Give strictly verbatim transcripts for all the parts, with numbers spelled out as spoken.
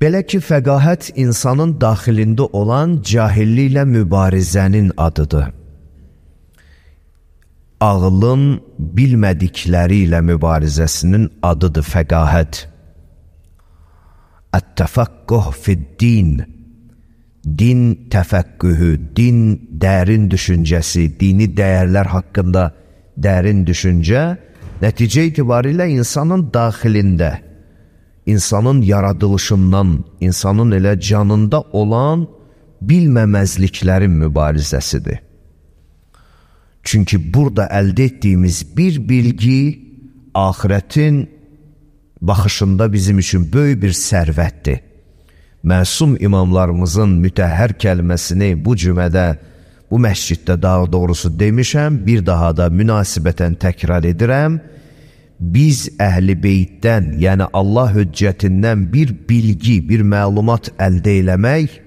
Belə ki, fəqahət insanın daxilində olan cahilliklə mübarizənin adıdır. Ağlın bilmədikləri ilə mübarizəsinin adıdır fəqahət. Ət-təfəqquh fid-din, din təfəqqühü, din dərin düşüncəsi, dini dəyərlər haqqında dərin düşüncə, nəticə itibarilə insanın daxilində, insanın yaradılışından, insanın elə canında olan bilməməzliklərin mübarizəsidir. Çünki burada əldə etdiyimiz bir bilgi axirətin baxışında bizim üçün böyük bir sərvətdir. Məsum imamlarımızın mütəhhər kəlməsini bu cümədə, bu məsciddə daha doğrusu demişəm, bir daha da münasibətən təkrar edirəm. Biz əhl-i beytdən, yəni Allah höccətindən bir bilgi, bir məlumat əldə eləmək,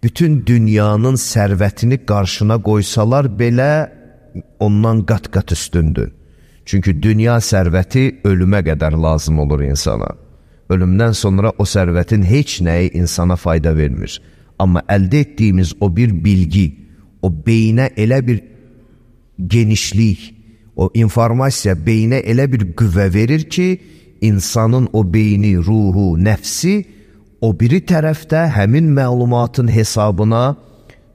bütün dünyanın sərvətini qarşına qoysalar belə ondan qat-qat üstündür. Çünki dünya sərvəti ölümə qədər lazım olur insana. Ölümdən sonra o sərvətin heç nəyi insana fayda vermir. Amma əldə etdiyimiz o bir bilgi, o beyinə elə bir genişlik, o informasiya beyinə elə bir qüvvə verir ki, insanın o beyni, ruhu, nəfsi o biri tərəfdə həmin məlumatın hesabına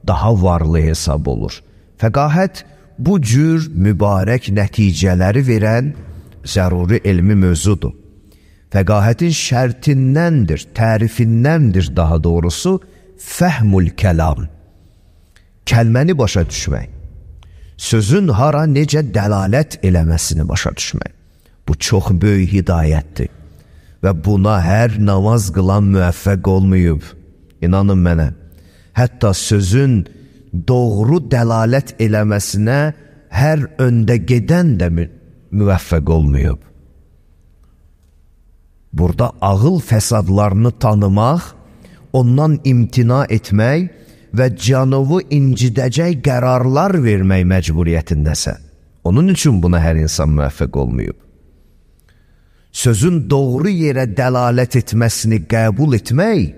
daha varlı hesab olur. Fəqahət bu cür mübarək nəticələri verən zəruri elmi mövzudur. Fəqahətin şərtindəndir, tərifindəndir daha doğrusu fəhmül kəlam. Kəlməni başa düşmək, sözün hara necə dəlalət eləməsini başa düşmək. Bu çox böyük hidayətdir və buna hər namaz qılan müvəffəq olmayıb. İnanın mənə, hətta sözün doğru dəlalət eləməsinə hər öndə gedən də müvəffəq olmayıb. Burada ağıl fəsadlarını tanımaq, ondan imtina etmək və canovu incidəcək qərarlar vermək məcburiyyətindəsə. Onun üçün buna hər insan müvəffəq olmayıb. Sözün doğru yerə dəlalət etməsini qəbul etmək,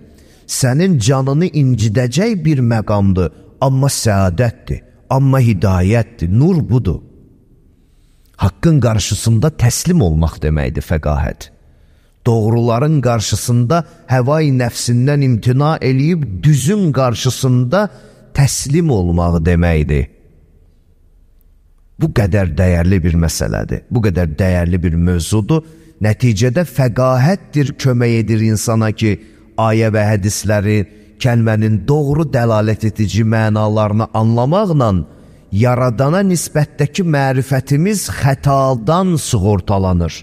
sənin canını incidəcək bir məqamdır, amma səadətdir, amma hidayətdir, nur budur. Haqqın qarşısında təslim olmaq deməkdir fəqahət. Doğruların qarşısında həvai nəfsindən imtina eləyib, düzün qarşısında təslim olmaq deməkdir. Bu qədər dəyərli bir məsələdir, bu qədər dəyərli bir mövzudur. Nəticədə fəqahətdir kömək edir insana ki, ayə və hədisləri, kəlmənin doğru dəlalət edici mənalarını anlamaqla yaradana nisbətdəki mərifətimiz xətadan sığortalanır.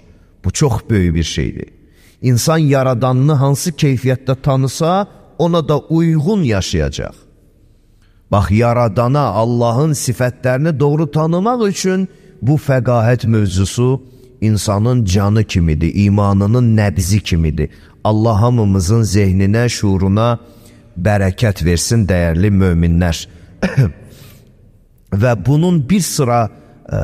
Bu çox böyük bir şeydir. İnsan yaradanını hansı keyfiyyətdə tanısa, ona da uyğun yaşayacaq. Bax, yaradana, Allahın sifətlərini doğru tanımaq üçün bu fəqahət mövzusu insanın canı kimidir, imanının nəbzi kimidir. Allah hamımızın zehninə, şuuruna bərəkət versin dəyərli möminlər. Və bunun bir sıra ə,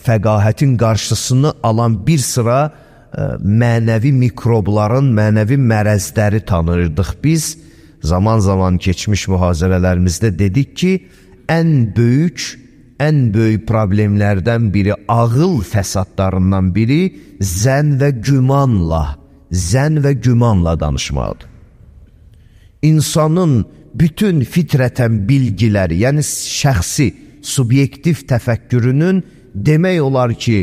fəqahətin qarşısını alan bir sıra ə, mənəvi mikrobların, mənəvi mərəzləri tanırdıq biz. Zaman zaman keçmiş mühazirələrimizdə dedik ki, ən böyük, ən böyük problemlərdən biri, ağıl fəsadlarından biri zən və gümanla, zən və gümanla danışmaqdır. İnsanın bütün fitrətən bilgiləri, yəni şəxsi, subyektiv təfəkkürünün demək olar ki,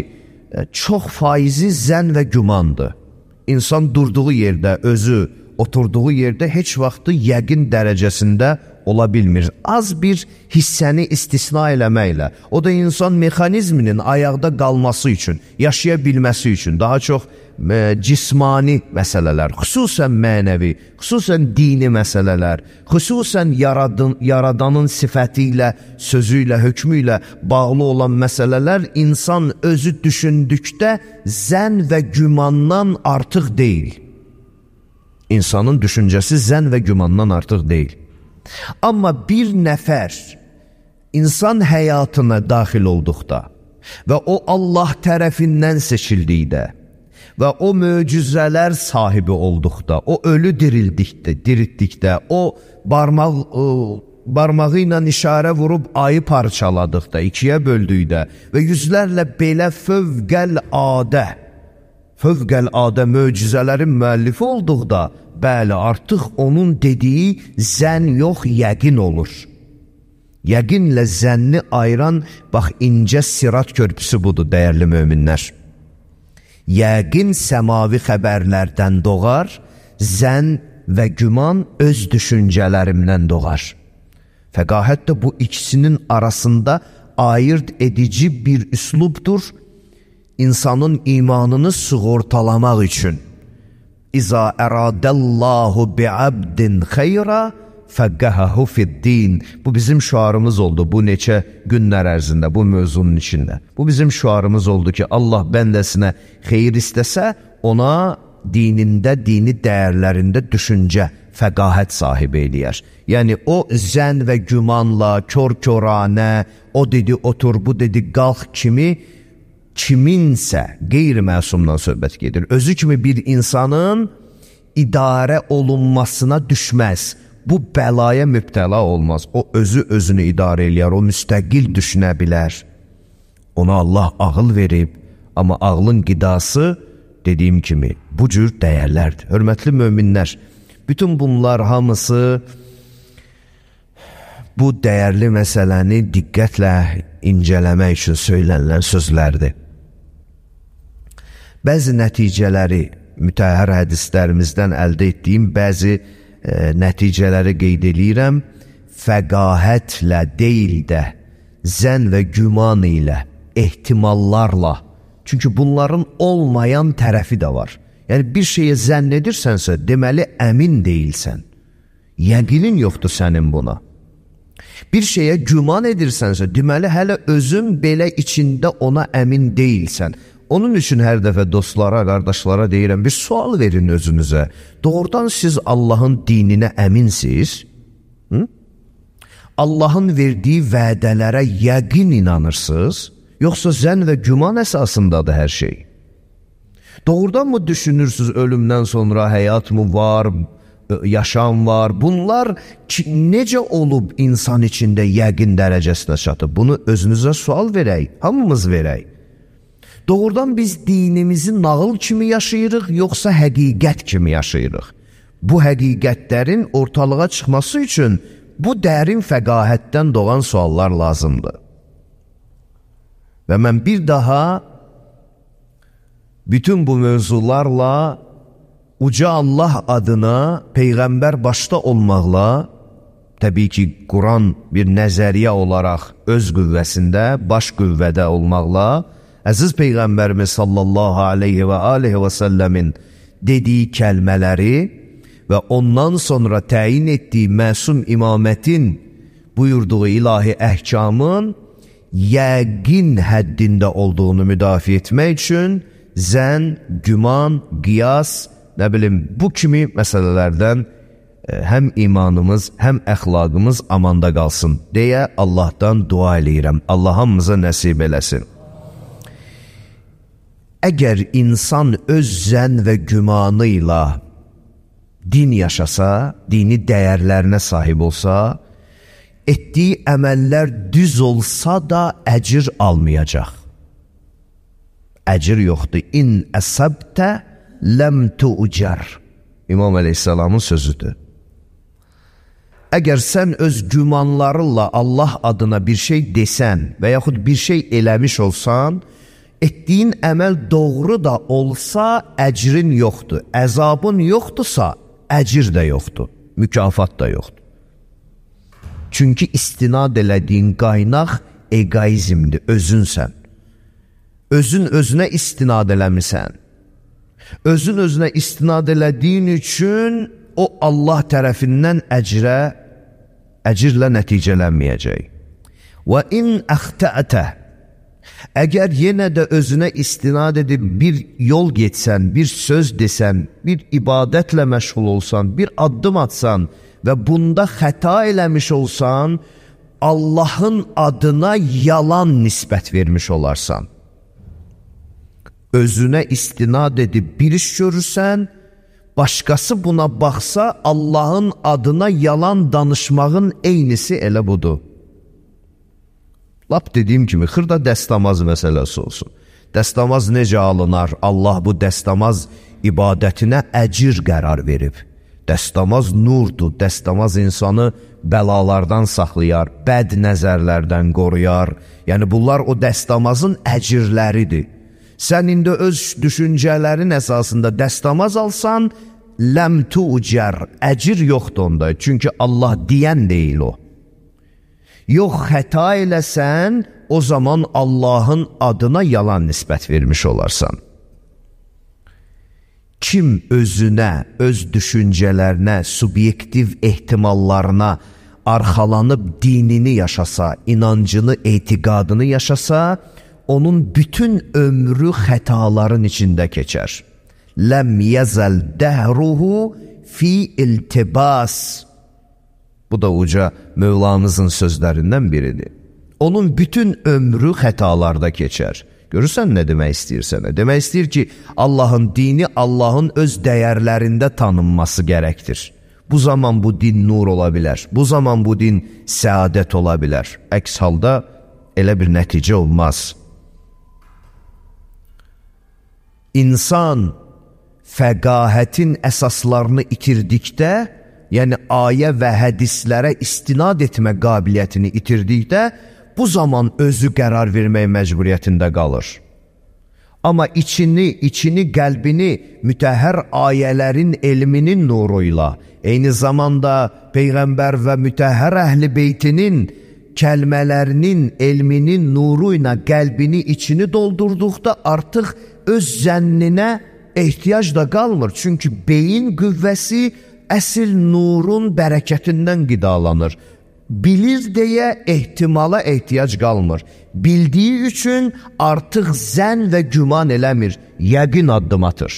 çox faizi zən və gümandır. İnsan durduğu yerdə, özü oturduğu yerdə heç vaxtı yəqin dərəcəsində ola bilmir. Az bir hissəni istisna eləməklə, o da insan mexanizminin ayaqda qalması üçün, yaşaya bilməsi üçün daha çox e, cismani məsələlər, xüsusən mənəvi, xüsusən dini məsələlər, xüsusən yaradın, yaradanın sifəti ilə, sözü ilə, hökmü ilə bağlı olan məsələlər insan özü düşündükdə zən və gümandan artıq deyil. İnsanın düşüncəsi zən və gümandan artıq deyil. Amma bir nəfər insan həyatına daxil olduqda və o Allah tərəfindən seçildikdə və o möcüzələr sahibi olduqda, o ölü dirildikdə, diriltdikdə, o barmaq, o, barmağı ilə işarə vurub ayı parçaladıqda, ikiyə böldükdə və yüzlərlə belə fövqəl-adə, fövqəl-adə möcüzələrin müəllifi olduqda, bəli, artıq onun dediyi zən yox, yəqin olur. Yəqinlə zənni ayıran, bax, incə sirat körpüsü budur, dəyərli möminlər. Yəqin səmavi xəbərlərdən doğar, zən və güman öz düşüncələrimdən doğar. Fəqahət də bu ikisinin arasında ayırt edici bir üslubdur, insanın imanını sığortalamaq üçün. İza əradəllahu bi'abdin xeyra fəqqəhahu fid-din. Bu bizim şüarımız oldu bu neçə günlər ərzində, bu mövzunun içində. Bu bizim şüarımız oldu ki, Allah bəndəsinə xeyir istəsə, ona dinində, dini dəyərlərində düşüncə, fəqahət sahibi eləyər. Yəni, o zən və gümanla, kör-köranə, o dedi otur, bu dedi qalx kimi, kiminsə qeyri-məsumdan söhbət gedir. Özü kimi bir insanın idarə olunmasına düşməz. Bu bəlaya mübtəla olmaz. O özü özünü idarə eləyər, o müstəqil düşünə bilər. Ona Allah ağıl verib, amma ağlın qidası, dediyim kimi, bu cür dəyərlərdir. Hörmətli möminlər, bütün bunlar hamısı bu dəyərli məsələni diqqətlə incələmək üçün söylənilən sözlərdir. Bəzi nəticələri, mütəhhər hədislərimizdən əldə etdiyim bəzi e, nəticələri qeyd edirəm, fəqahətlə deyil də, zən və güman ilə, ehtimallarla, çünki bunların olmayan tərəfi də var. Yəni, bir şeyə zənn edirsənsə, deməli, əmin deyilsən. Yəqinin yoxdur sənin buna. Bir şeyə güman edirsənsə, deməli, hələ özün belə içində ona əmin deyilsən. Onun üçün hər dəfə dostlara, qardaşlara deyirəm, bir sual verin özünüzə. Doğrudan siz Allahın dininə əminsiniz? Hı? Allahın verdiyi vədələrə yəqin inanırsınız? Yoxsa zənn və güman əsasındadır hər şey? Doğrudan mı düşünürsünüz ölümdən sonra həyat mı var, yaşam var? Bunlar ki, necə olub insan içində yəqin dərəcəsinə çatıb? Bunu özünüzə sual verək, hamımız verək. Doğrudan biz dinimizi nağıl kimi yaşayırıq, yoxsa həqiqət kimi yaşayırıq? Bu həqiqətlərin ortalığa çıxması üçün bu dərin fəqahətdən doğan suallar lazımdır. Və mən bir daha bütün bu mövzularla uca Allah adına Peyğəmbər başda olmaqla, təbii ki, Quran bir nəzəriyyə olaraq öz qüvvəsində, baş qüvvədə olmaqla, əziz Peyğəmbərimiz sallallahu aleyhi və aleyhi və səlləmin dediyi kəlmələri və ondan sonra təyin etdiyi məsum imamətin buyurduğu ilahi əhkamın yəqin həddində olduğunu müdafiə etmək üçün zən, güman, qiyas, nə bilim, bu kimi məsələlərdən həm imanımız, həm əxlaqımız amanda qalsın deyə Allahdan dua eləyirəm. Allah hamımıza nəsib eləsin. Əgər insan öz zən və gümanı ilə din yaşasa, dini dəyərlərinə sahib olsa, etdiyi əməllər düz olsa da əcir almayacaq. Əcir yoxdur. İn əsəbtə ləm tu'car. İmam Əleyhisselamın sözüdür. Əgər sən öz gümanlarınla Allah adına bir şey desən və yaxud bir şey eləmiş olsan, etdiyin əməl doğru da olsa əcrin yoxdur. Əzabın yoxdursa əcir də yoxdur. Mükafat da yoxdur. Çünki istinad elədiyin qaynaq egoizmdir, özünsən. Özün özünə istinad eləmirsən. Özün özünə istinad elədiyin üçün o Allah tərəfindən əcrə, əcirlə nəticələnməyəcək. Və in əxtəətə, əgər yenə də özünə istinad edib bir yol getsən, bir söz desən, bir ibadətlə məşğul olsan, bir addım atsan və bunda xəta eləmiş olsan, Allahın adına yalan nisbət vermiş olarsan. özünə istinad edib bir iş görürsən, başqası buna baxsa, Allahın adına yalan danışmağın eynisi elə budur. Lap dediyim kimi, xırda dəstəmaz məsələsi olsun. Dəstəmaz necə alınar? Allah bu dəstəmaz ibadətinə əcir qərar verib. Dəstəmaz nurdur, dəstəmaz insanı bəlalardan saxlayar, bəd nəzərlərdən qoruyar. Yəni, bunlar o dəstəmazın əcirləridir. Sən indi öz düşüncələrin əsasında dəstəmaz alsan, ləm tucər, əcir yoxdur onda. Çünki Allah deyən deyil o. Yox, xəta eləsən, o zaman Allahın adına yalan nisbət vermiş olarsan. Kim özünə, öz düşüncələrinə, subyektiv ehtimallarına arxalanıb dinini yaşasa, inancını, etiqadını yaşasa, onun bütün ömrü xətaların içində keçər. Ləm yəzəl dəhruhu fi iltibas. Bu da uca Mövlamızın sözlərindən biridir. Onun bütün ömrü xətalarda keçər. Görürsən nə demək istəyir sənə? Demək istəyir ki, Allahın dini Allahın öz dəyərlərində tanınması gərəkdir. Bu zaman bu din nur ola bilər. Bu zaman bu din səadət ola bilər. Əks halda elə bir nəticə olmaz. İnsan fəqahətin əsaslarını itirdikdə, yəni ayə və hədislərə istinad etmə qabiliyyətini itirdikdə, bu zaman özü qərar vermək məcburiyyətində qalır. Amma içini, içini, qəlbini mütəhhər ayələrin elminin nuruyla, eyni zamanda Peyğəmbər və mütəhhər əhl-i beytinin kəlmələrinin, elminin nuru ilə qəlbini, içini doldurduqda artıq öz zənninə ehtiyac da qalmır. Çünki beyin qüvvəsi əsl nurun bərəkətindən qidalanır. Bilir deyə ehtimala ehtiyac qalmır. Bildiyi üçün artıq zən və güman eləmir, yəqin addım atır.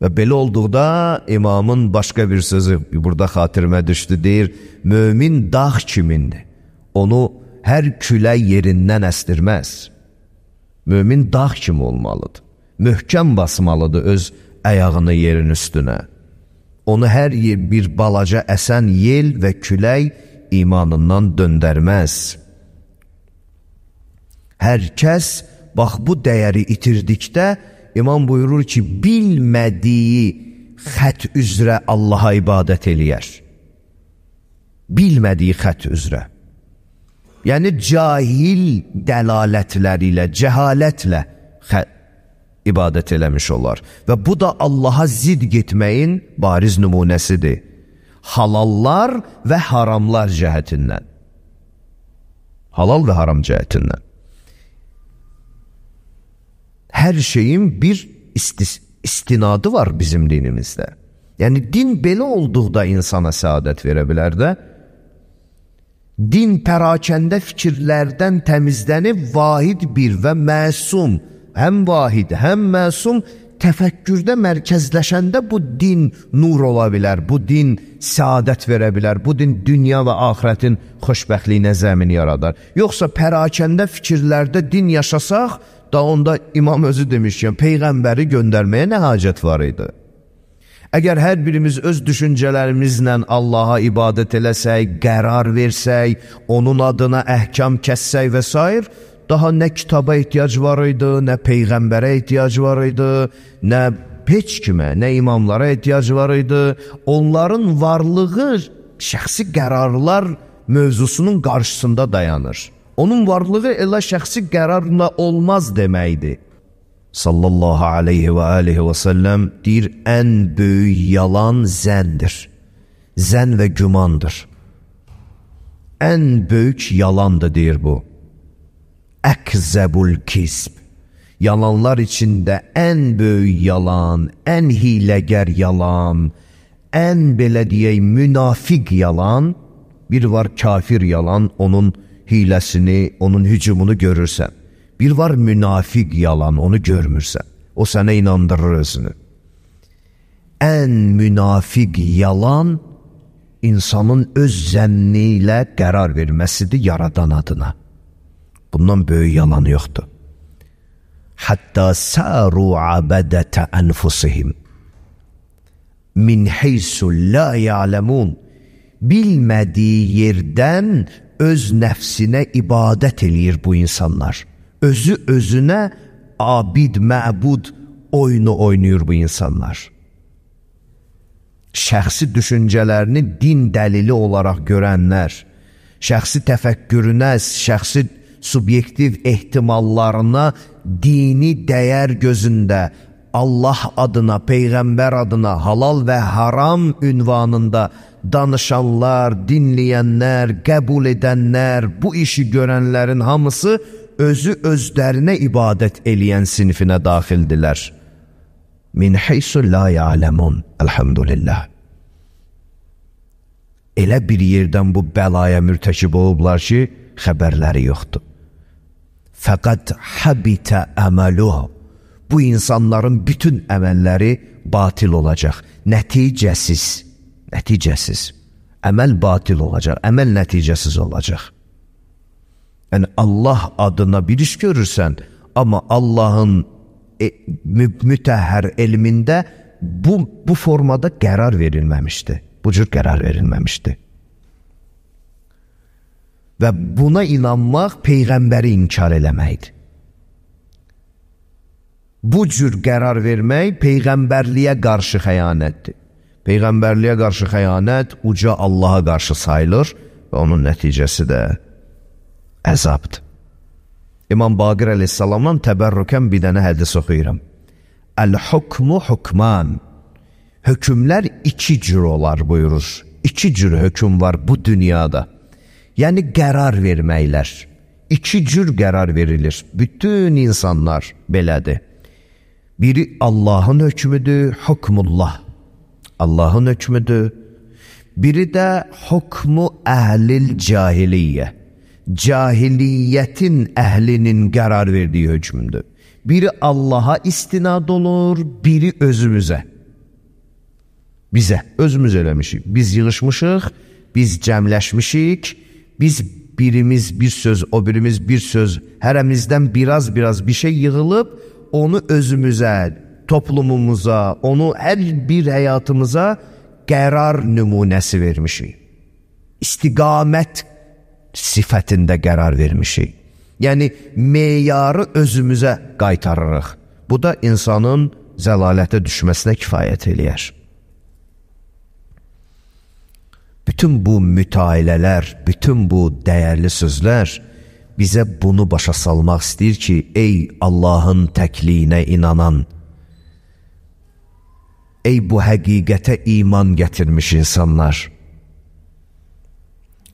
Və belə olduqda imamın başqa bir sözü burada xatirimə düşdü, deyir, mömin dağ kimindir? Onu hər külək yerindən əstirməz. Mömin dağ kimi olmalıdır. Möhkəm basmalıdır öz əyağını yerin üstünə. Onu hər bir balaca əsən yel və külək imanından döndərməz. Hər kəs, bax bu dəyəri itirdikdə, imam buyurur ki, bilmədiyi xət üzrə Allaha ibadət eləyər. Bilmədiyi xət üzrə. Yəni, cahil dəlalətləri ilə, cəhalətlə xət ibadət eləmiş olar. Və bu da Allaha zid getməyin bariz nümunəsidir. Halallar və haramlar cəhətindən. Halal və haram cəhətindən. Hər şeyin bir istis istinadı var bizim dinimizdə. Yəni, din belə olduqda insana səadət verə bilər də, din pərakəndə fikirlərdən təmizlənib vahid bir və məsum, həm vahid, həm məsum təfəkkürdə mərkəzləşəndə bu din nur ola bilər, bu din səadət verə bilər, bu din dünya və axirətin xoşbəxtliyinə zəmin yaradar. Yoxsa pərakəndə fikirlərdə din yaşasaq, da onda imam özü demişkən, Peyğəmbəri göndərməyə nə hacət var idi? Əgər hər birimiz öz düşüncələrimizlə Allaha ibadət eləsək, qərar versək, onun adına əhkam kəssək və s. daha nə kitaba ehtiyac var idi, nə Peyğəmbərə ehtiyac var idi, nə heç kimə, nə imamlara ehtiyac var idi. Onların varlığı şəxsi qərarlar mövzusunun qarşısında dayanır. Onun varlığı elə şəxsi qərarla olmaz deməkdir. Sallallahu aleyhi və aleyhi və səlləm deyir, ən böyük yalan zəndir. Zən və gümandır. Ən böyük yalandır, deyir bu. Əkzəbul kisb. Yalanlar içində ən böyük yalan, ən hiləgər yalan, ən belə deyək münafiq yalan, bir var kafir yalan, onun hiləsini, onun hücumunu görürsən. Bir var münafiq yalan, onu görmürsən. O sənə inandırır özünü. Ən münafiq yalan, insanın öz zənni ilə qərar verməsidir yaradan adına. Bundan böyük yalan yoxdur. hatta saru abadete enfusihim min heysu la ya'lemun. Bilmədiyi yerdən öz nəfsinə ibadət eləyir bu insanlar. Özü özünə abid, məbud oyunu oynayır bu insanlar. Şəxsi düşüncələrini din dəlili olaraq görənlər, şəxsi təfəkkürünə, şəxsi subyektiv ehtimallarına dini dəyər gözündə Allah adına, Peyğəmbər adına, halal və haram ünvanında danışanlar, dinləyənlər, qəbul edənlər, bu işi görənlərin hamısı özü özlərinə ibadət eləyən sinfinə daxildilər. Min heysu la ya'lemun. Elhamdülillah. Elə bir yerdən bu bəlaya mürtəkib olublar ki, xəbərləri yoxdur. Fəqət habitə əməluhu. Bu insanların bütün əməlləri batil olacaq. Nəticəsiz. Nəticəsiz. Əməl batil olacaq. Əməl nəticəsiz olacaq. Yəni Allah adına bir iş görürsən, amma Allahın e, mü mütəhhər elmində bu, bu formada qərar verilməmişdi. Bu cür qərar verilməmişdi. Və buna inanmaq Peyğəmbəri inkar eləməkdir. Bu cür qərar vermək Peyğəmbərliyə qarşı xəyanətdir. Peyğəmbərliyə qarşı xəyanət uca Allaha qarşı sayılır və onun nəticəsi də əzabdır. İmam Baqir əleyhissalamdan təbərrükən bir dənə hədis oxuyuram. Əl-hukmu hukman. Hökümlər iki cür olar buyurur. İki cür höküm var bu dünyada. Yəni qərar verməklər. İki cür qərar verilir. Bütün insanlar belədir. Biri Allahın hökmüdür, hukmullah. Allahın hökmüdür. Biri də hukmu əhlil cahiliyyə. Cahiliyyətin əhlinin qərar verdiyi hökmüdür. Biri Allaha istinad olur, biri özümüzə. Bizə, özümüz eləmişik. Biz yığışmışıq, biz cəmləşmişik, biz birimiz bir söz, o birimiz bir söz, hərəmizdən biraz-biraz bir şey yığılıb, onu özümüzə, toplumumuza, onu hər bir həyatımıza qərar nümunəsi vermişik. İstiqamət sifətində qərar vermişik. Yəni, meyarı özümüzə qaytarırıq. Bu da insanın zəlalətə düşməsinə kifayət eləyər. Bütün bu mütailələr, bütün bu dəyərli sözlər bizə bunu başa salmaq istəyir ki, ey Allahın təkliyinə inanan, ey bu həqiqətə iman gətirmiş insanlar,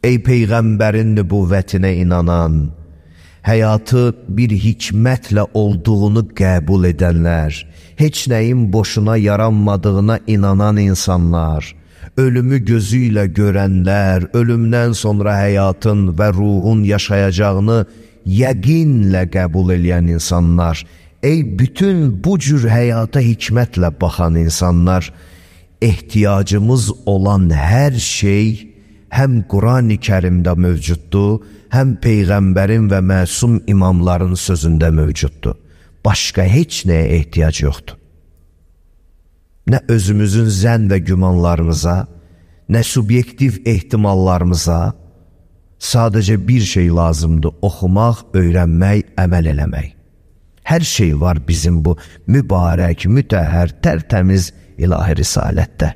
ey Peyğəmbərin nübüvvətinə inanan, həyatı bir hikmətlə olduğunu qəbul edənlər, heç nəyin boşuna yaranmadığına inanan insanlar, ölümü gözü ilə görənlər, ölümdən sonra həyatın və ruhun yaşayacağını yəqinlə qəbul edən insanlar, ey bütün bu cür həyata hikmətlə baxan insanlar, ehtiyacımız olan hər şey həm Quran-ı Kərimdə mövcuddur, həm Peyğəmbərin və məsum imamların sözündə mövcuddur. Başqa heç nəyə ehtiyac yoxdur. Nə özümüzün zənn və gümanlarımıza, nə subyektiv ehtimallarımıza, sadəcə bir şey lazımdır, oxumaq, öyrənmək, əməl eləmək. Hər şey var bizim bu mübarək, mütəhhər, tərtəmiz ilahi risalətdə.